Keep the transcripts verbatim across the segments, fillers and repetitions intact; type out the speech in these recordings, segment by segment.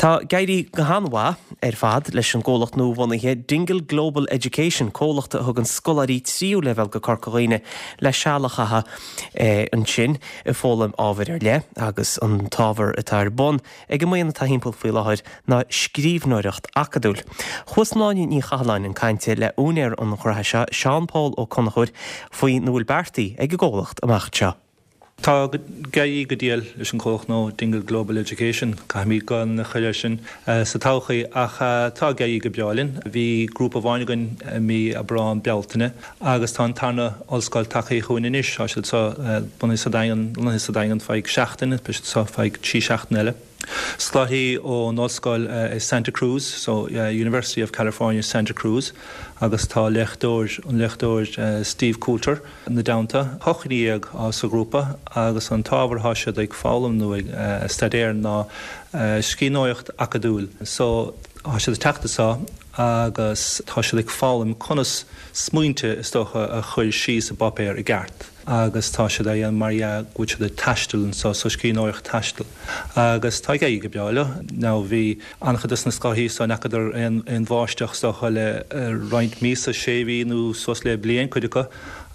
Tá ag éirí go han-mhaith ar fad leis an gcomhlacht nua-bhunaithe Dingle Global Education comhlacht a thugann scoláirí tríú leibhéal go Corca Dhuibhne le seal a chaitheamh eh, ansin ag foghlaim ábhair ar leith agus an t-ábhar atá ar bun ag an mbuíon atá timpeall faoi láthair ná scríbhneoireacht acadúil. Chuas Sláine Ní Chathalláin chun cainte le húinéir an ghnó seo Seán Pól Ó Conchúir faoina bhfuil beartaithe ag an gcomhlacht amach anseo. Tá ag éirí go diail leis an gcomhlacht nó Dingle Global Education caithfimid gan chuile sin uh, sa todhchaí ach uh, tá ag éirí go breá linn. Bhí grúpa amháin againn mí Aibreán Bealtaine agus tá an tarna ollscoil tagtha chugainn anois tá siad so bunaithe sa Daingean bunaithe sa Daingean feadh seachtain so feadh trí seachtaine eile. Scoláirí ón ollscoil uh, Santa Cruz, so uh, University of California Santa Cruz, agus tá léachtóir an léachtóir uh, Steve Coulter ina dteannta hocht déag sa ghrúpa agus an t-ábhar atá siad ag foghlaim nó ag uh, staidéar ná uh, scríbhneoireacht acadúil. So tá siad ag teacht anseo agus tá siad ag foghlaim conas smaointe is dócha a chur síos i bpáipéar i gceart. agus tá siad é mar go siad taisteal so so scríbhneoireacht taistil. Agus tá ag éirí go breá leo ná bhí an-chuid de na scoláirí so n'fheadar an an bháisteach so le roinnt míosa sé mhí nó suas le bliain cuid acu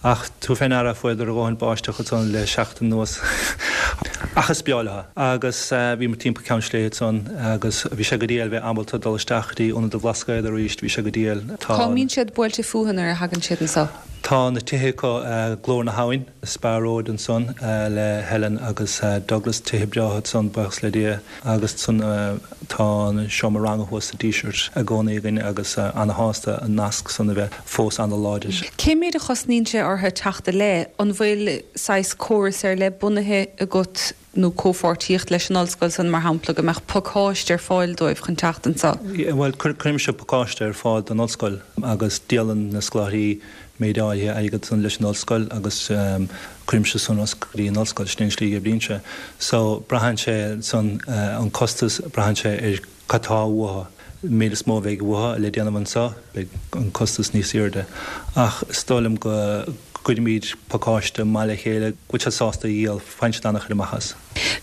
ach tú féin ara fuidir a gáin báisteach ann le seachtain anuas. Ach is breá leo agus bhí mar timpeall Ceann Sléibhe ann agus bhí sé go diail bheith ábalta dul isteach dtí ionad an Bhlascaoid arís bhí sé go diail Cá mbíonn siad buailte fúthu nuair a thagann siad anseo. Tá na tithe acu Glór na hAbhann Spar Road ansan le Helen agus Douglas tithe breátha ansan buíochas le Dia agus san tá an seomra ranga thuas sa Díseart i gcónaí againn agus an-shásta an nasc san a bheith fós an-láidir. Cé méid a chosnaíonn sé orthu teacht le an bhfuil saghas córas ar leith bunaithe agat nó comhpháirtíocht leis an ollscoil san mar shampla go mbeadh pacáiste ar fáil dóibh chun teacht anseo. Well cuirimse pacáiste ar fáil don ollscoil agus díolann na scoláirí méid áirithe agat san leis an ollscoil agus um, cuirimse san go dtí an ollscoil sin slí a sé. So braitheann sé san uh, an costas braitheann sé ar cad atá uathu. Méid is mó bheidh uathu le déanamh anseo beidh an costas níos airde. Ach is dóigh liom go gcuirimid pacáiste maith le chéile go bhfuil sásta dhíol faint anna chu amachas.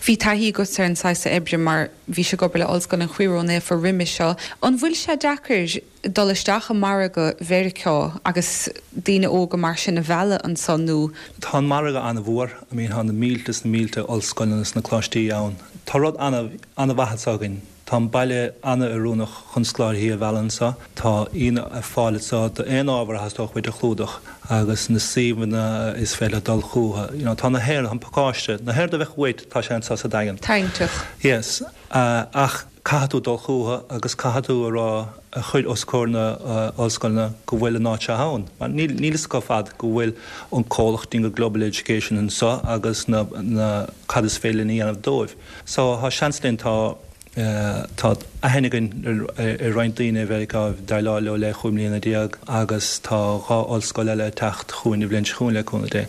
Bhí taithí agat ar an saghas oibre mar bhí sé ag obair le Ollscoil an Chroí Ró-Naofa roimhe seo. An bhfuil sé deacair dul isteach i margadh Mheiriceá agus daoine óga mar sin a mhealladh ansan nó. Tá an margadh an-mhór, I mean tá na mílte is na mílte ollscoileanna na coláistí ann. Tá rud an-mhaith againn. Tá an baile an-oiriúnach chun scoláirí a mhealladh anseo, Tá ionad ar fáil anseo d'aon ábhar a theastaíonn uait a chlúdach agus na suíomhanna is féidir dul chucu. You know, tá na héir an pacáiste, na héir a bheith chuit tá sé anseo sa Daingean. Táinteach. Yes, uh, ach caithfidh tú dul chucu agus caithfidh tú a rá a chur os comhair na uh, ollscoileanna go bhfuil an áit seo ann. Níl níl go fad go bhfuil an comhlacht Dingle Global Education anseo agus na, na cad is féidir a dhéanamh dóibh. So tá seans linn tá Uh, tá aithne againn ar roinnt daoine bheith déileáil leo le cúig bliana déag agus tá dhá ollscoil eile teacht chugainn an bhliain seo chugainn le cúnamh Dé.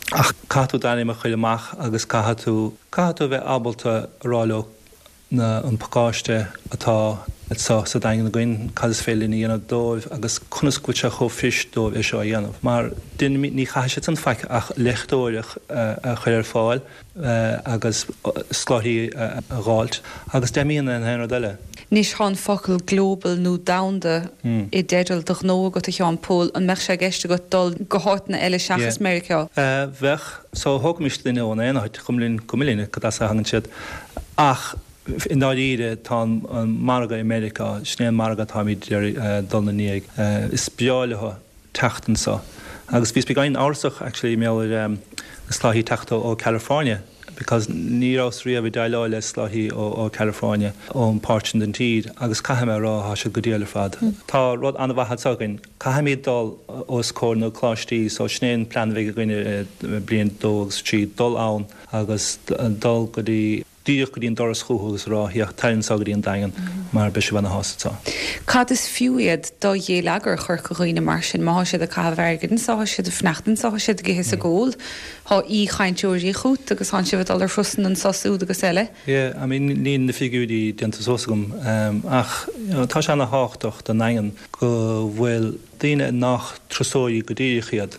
Ach caithfidh tú d'ainm a chur amach agus caithfidh tú caithfidh tú bheith ábalta rá leo na an pacáiste atá so sa Daingean againn cad is féidir linn a dhéanamh dóibh agus conas go bhfuil sé chomh fuirist dóibh é seo a dhéanamh. Mar ní chaithfidh siad an faic ach léachtóireacht a chur ar fáil agus scoláirí a fháilt agus deimíonn an haon rud eile. Anois tá an focal global nó domhanda mm. i dteideal do ghnó agat a Sheáin Phóil an mbeadh sé i gceist agat dul go háiteanna eile seachas Meiriceá. Uh, bheadh so thógaimis duine ón aon áit cuma cuma cad as a thagann siad ach i ndáiríre tá an margadh i Meiriceá sin é an margadh táimid dul ina ndiaidh is breá leo teacht anseo. Agus bhí beagán amhrasach actually mé ar um, na scoláirí teacht ó California because ní raibh riamh déileáil le scoláirí ó, ó California ón páirt den tír agus caithfidh mé rá tá siad go diail ar fad. Mm. Tá rud an-mhaith againn caithfimid dul os comhair na coláistí so sin é an plean a bheidh againn bliain dó agus trí dul ann agus dul go dtí díreach go dtí an doras chucu agus rá tar anseo go dtí an Daingean mar beidh sibh ana-shásta. Cad is fiú iad do gheilleagar Chorca Dhuibhne mar sin má siad ag caitheamh airgid anseo siad ag fanacht anseo siad ag ithe is ag ól Tá aoichainteoirí chugat agus tá sibh dul ar thurasanna anseo siúd agus eile. Yeah, I mean níl na figiúirí déanta suas agam um, ach you know, tá sé an-tábhachtach don Daingean go bhfuil daoine nach turasóirí go díreach iad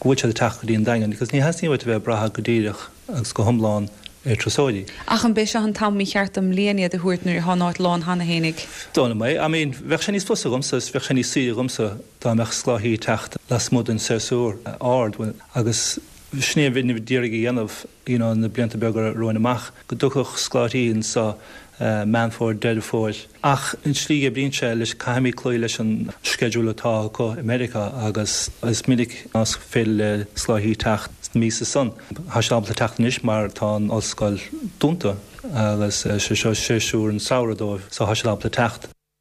go bhfuil siad ag teacht go dtí an Daingean, because ní theastaíonn uait a bheith ag brath go díreach agus go hiomlán ar turasóirí. Ach an b'é seo an t-am mícheart den mbliain iad a thabhairt nuair atá an áit lán cheana fhéinig? Don't know, I mean, bheadh sé níos fusa dhomsa is bheadh sé níos saoire dhomsa dá mbeadh scoláirí ag teacht lasmuigh den séasúr ard agus sin é a bhí d'iarraidh a dhéanamh you know, na blianta beaga romhainn amach go dtiocfadh scoláirí anseo Meán Fómhair, Deireadh Fómhair. Ach an tslí a oibríonn sé leis, caithfimid cloí leis an sceideal atá acu i Meiriceá agus is minic nach féidir le scoláirí teacht sna míosa san. Tá siad ábalta teacht anois mar tá an ollscoil dúnta agus sé seo séasúr an samhradh dóibh so tá siad ábalta teacht.